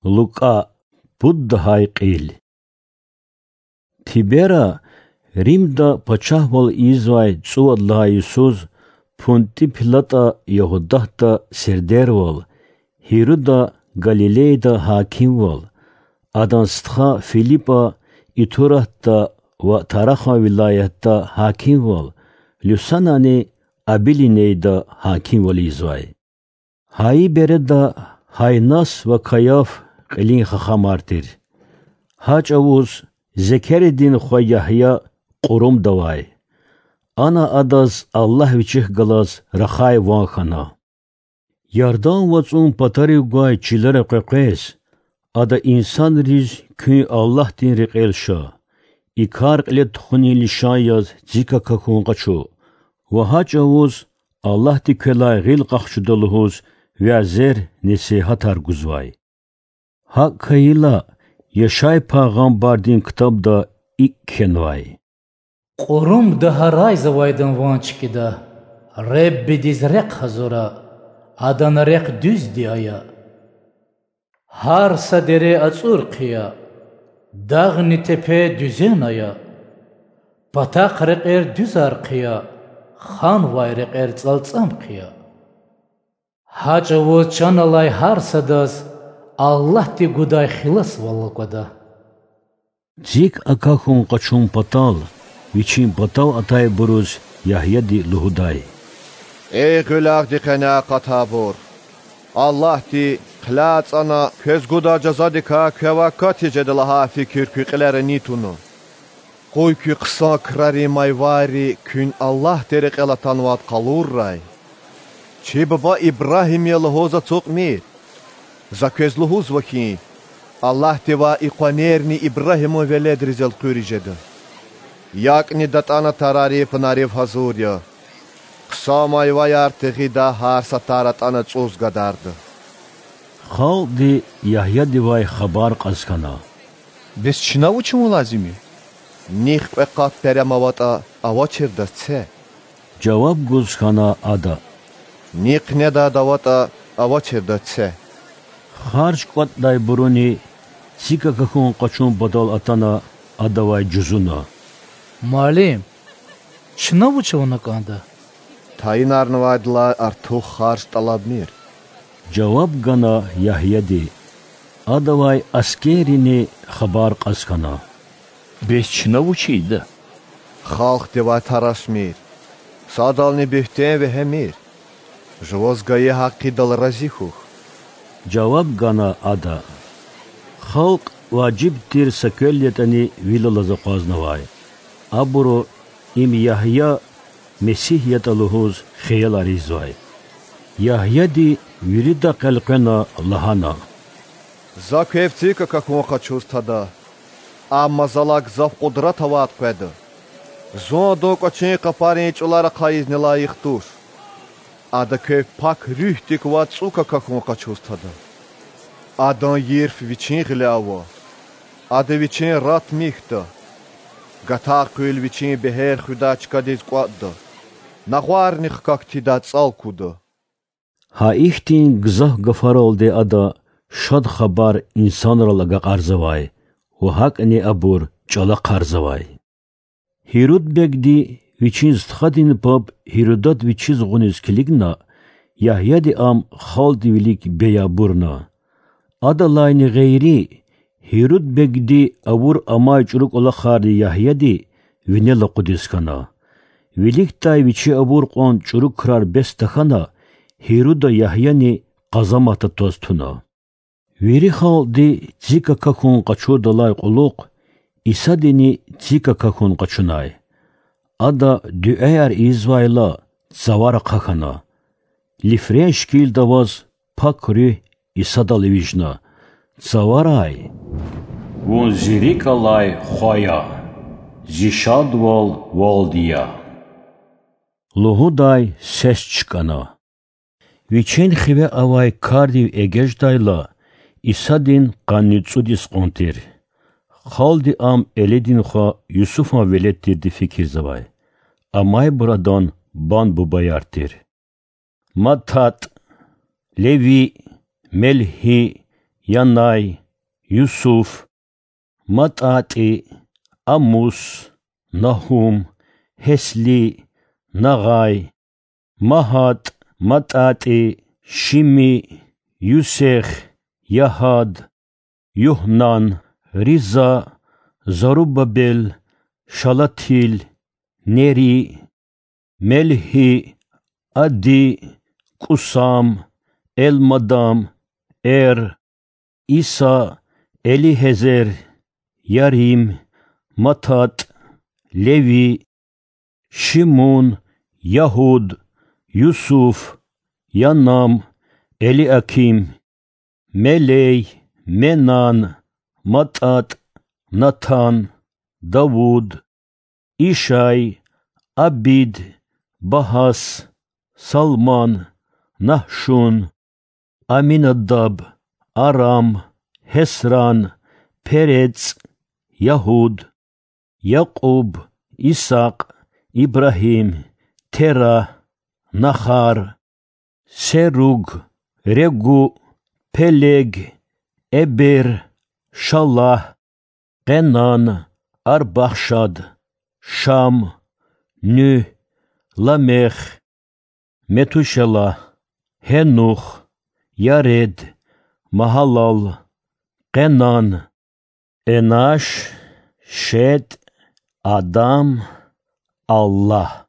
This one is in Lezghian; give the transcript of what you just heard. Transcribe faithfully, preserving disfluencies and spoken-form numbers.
Лукӏа. Пуд лагьай кьил. Тибера Римда пачагьвал ийизвай цӏувад лагьай йисуз Пунтӏи Пилатӏа Ягьудатда сердервал, Гьируда Галилейда гьакимвал, адан стха Филипӏа Итуратда ва Тарахан вилаятда гьакимвал, Люсанани Абилинейда гьакимвал ийизвай. Гьа и береда Гьаннас ва Каяф кьилин хахамар тир. Гьа чӏавуз Зекеридин хва Ягья кьурумда авай. Ана адаз Аллагь вичихъ галаз рахай ван хьана. Ярдан вацӏун патарив гвай чилера къекъвез, ада инсанриз куьн Аллагьдин рекьел ша, и кар кьиле тухунин лишан яз цик акахьун къачу ва гьа чӏавуз Аллагьди квелай гъил къахчуда лугьуз вязер-несигьатар гузвай. Гьакӏ хьайила, Яшай пайгъамбардин ктабда икӏ кхьенвай: Кьурумда гьарайзавайдан ван чкӏида, Реббидиз рехъ гьазура, Адана рехъ дуьзди ая. Гьар са дере ацӏур хъия, дагъни тепе дуьзен ая, патахъ рекьер дуьзар хъия, ханвай рекьер цӏалцӏам хъия. Гьа чӏавуз чан алай гьар садаз Аллагьди гудай хиласвал аквада. Цик акахьун къачун патал вичин патав атайбуруз Ягьяди лугьудай: Эй гъуьлягъди къене акъатайбур! Аллагьди, хъиляй ацӏана, квез гудай жазадикай квевай катиз жеда лагьай фикир куь кьилера ни туна? Къуй куь хъсан крарин майварри куьн Аллагьдин рекьел атанвайд къалуррай. Чи буба Ибрагьим я лугьуз ацукьмир. За квез лугьузва хьи, Аллагьдивай и къванерни Ибрагьиман веледриз элкъуьриз жеда. ЯкӀни датӀана тарари пунарив гьазур я. Хъсан майваяр тегъида гьар са тар атӀана цӀуз гадарда. Халкьди Ягьядивай хабар кьаз хьана: Бес чна вуч авун лазим я? Нихъ кьве къат перем аватӀа, авачирдаз це. Жаваб гуз хьана ада: Нихъ недайд аватӀа, авачирдаз це. Харж кӀватӀдайбуруни цик акахьун къачун патал атана, адавай жузуна: Муаллим, чна вуч авуна кӀанда? Тайинарнавайдалай артух харж тӀалабмир. Жаваб гана Ягьяди. Адавай аскеррини хабар кьаз хьана: Бес чна вуч ийида? Халкьдивай тарашмир, садални буьгьтен вегьемир. Жуваз гайи гьакъидал рази хьухь. Жаваб гана ада. Халкь важиб тир са квел ятӀани вил алаз акъвазнавай. Абуру им Ягья Месигь ятӀа лугьуз хиялар ийизвай. Ягьяди виридахъ элкъвена лагьана: За квев цик акахьун къачуз тада, амма залай гзаф къудрат авайд къведа. Зун адан кӀвачин къапарин чӀулар ахъайизни лайих туш. Ада квев Пак Руьгьдик вад цӀук акахьун къачуз тада. Адан йирф вичин гъиле ава. Ада вичин рат михьда. Гатар къуьл вичин бегьер хуьдай чкадиз кӀватӀда. Нагъварни хкаг тийидай цӀал куда. Гьа ихьтин гзаф гафаралди ада Шад Хабар инсанрал агакьарзавай ва гьакӀни абур чӀалахъарзавай. Гьируд бегди вичин стхадин паб Гьирудад вичиз гъуниз килигна, Ягьяди ам халкьдин вилик бейбурна. Адалайни гъейри, Гьируд бегди авур амай чӀуру кӀвалахарни Ягьяди винел акъудиз хьана. Виликдай вичи авур кьван чӀуру крар бес тахьана, Гьируда Ягьяни къазаматда тваз туна. Вири халкьди цик акахьун къачурдалай кьулухъ Исадини цик акахьун къачунай. Ада дуьаяр ийизвайла, цавар ахъа хьана. Лифрен шикилда аваз Пак Руьгь Исадал вижна: Цаварай! Вун Зи рикӀ алай Хва я, Зи шадвал Валди я,— лугьудай сес чкӀана. Вичен хиве авай кардив эгечӀдайла, Исадин къанни цӀуд йис кьван тир. Халкьди Ам Элидин хва Юсуфан велед тирди фикирзавай. Амайбур Адан бан-бубаяр тир: МаттатӀ, Леви, Мелгьи, Янай, Юсуф, МатӀатӀи, Амус, Нагьум, Гьесли, Нагъай, МагьатӀ, МатӀатӀи, Шими, Юсех, Ягьад, Югьнан, Риза, Зарубабел, Шалатил, Нери, Мелгьи, Ади, КӀусам, Элмадам, Эр, Иса, Элигьезер, Ярим, МататӀ, Леви, Шимун, Ягьуд, Юсуф, Янам, Элиаким, Мелей, Менан, МатӀатӀ, Натан, Давуд, Ишай, Абид, Багьас, Салман, Нагьшун, Аминадаб, Арам, Гьесран, Перец, Ягьуд, Якьуб, Исакь, Ибрагьим, Тера, Нахар, Серуг, Регу, Пелег, Эбер, Шалагь, Къенан, Арпахшад, Шам, Нуьгь, Ламех, Метушалагь, Гьенух, Яред, Магьалал, Къенан, Энаш, Шеть, Адам, Аллагь.